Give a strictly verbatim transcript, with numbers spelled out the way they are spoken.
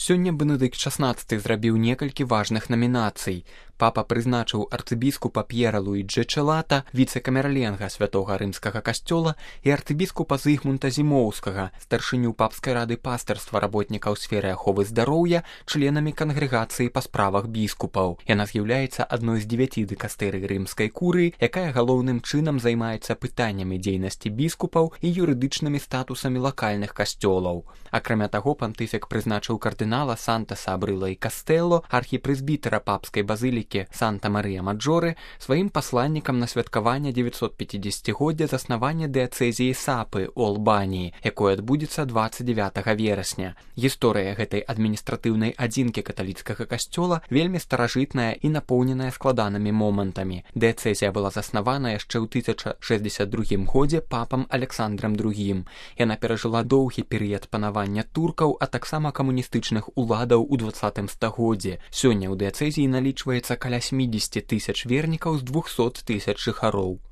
Сёння Бенедыкт шаснаццаты зрабіў некалькі важных намінацый. Папа прызначыў арцыбіскупа П'ера Луіджы Чэлата, віцэ-камерленга святога рымскага касцёла і арцыбіскупа Зыгмунта Зімоўскага, старшыню папскай рады пастырства работнікаў сферы аховы здароўя, членамі кангрэгацыі па справах біскупаў. Яна з'яўляецца адной з дзевяці дыкастэрый рымскай курыі, якая галоўным чынам займаецца пытаннямі дзейнасці біскупаў і юрыдычнымі статусамі лакальных касцёлаў. Акрамя таго, пантыфік прызначыў кардынала Сантаса Абрыла і Кастэлло, архіпрэзбітэра папскай базылікі Санта-Марыя-Маджоры, сваім пасланнікам на святкаванне дзевяцьсотпяцідзесяцігоддзя заснавання дыяцэзіі Сапы ў Албаніі, якое адбудзецца дваццаць дзявятага верасня. Гісторыя гэтай адміністратыўнай адзінкі каталіцкага касцёла вельмі старажытная і напоўненая складанымі момантамі. Дыяцэзія была заснавана яшчэ ў тысяча шэсцьдзесят другім годзе папам Александрам другім. Яна перажыла доўгі перыяд панавання туркаў, а таксама камуністычных уладаў у дваццатым стагоддзі. Сёння ў дыяцэзіі налічваецца каля сямдзесят тысяч вернікаў з двухсот тысяч жыхароў.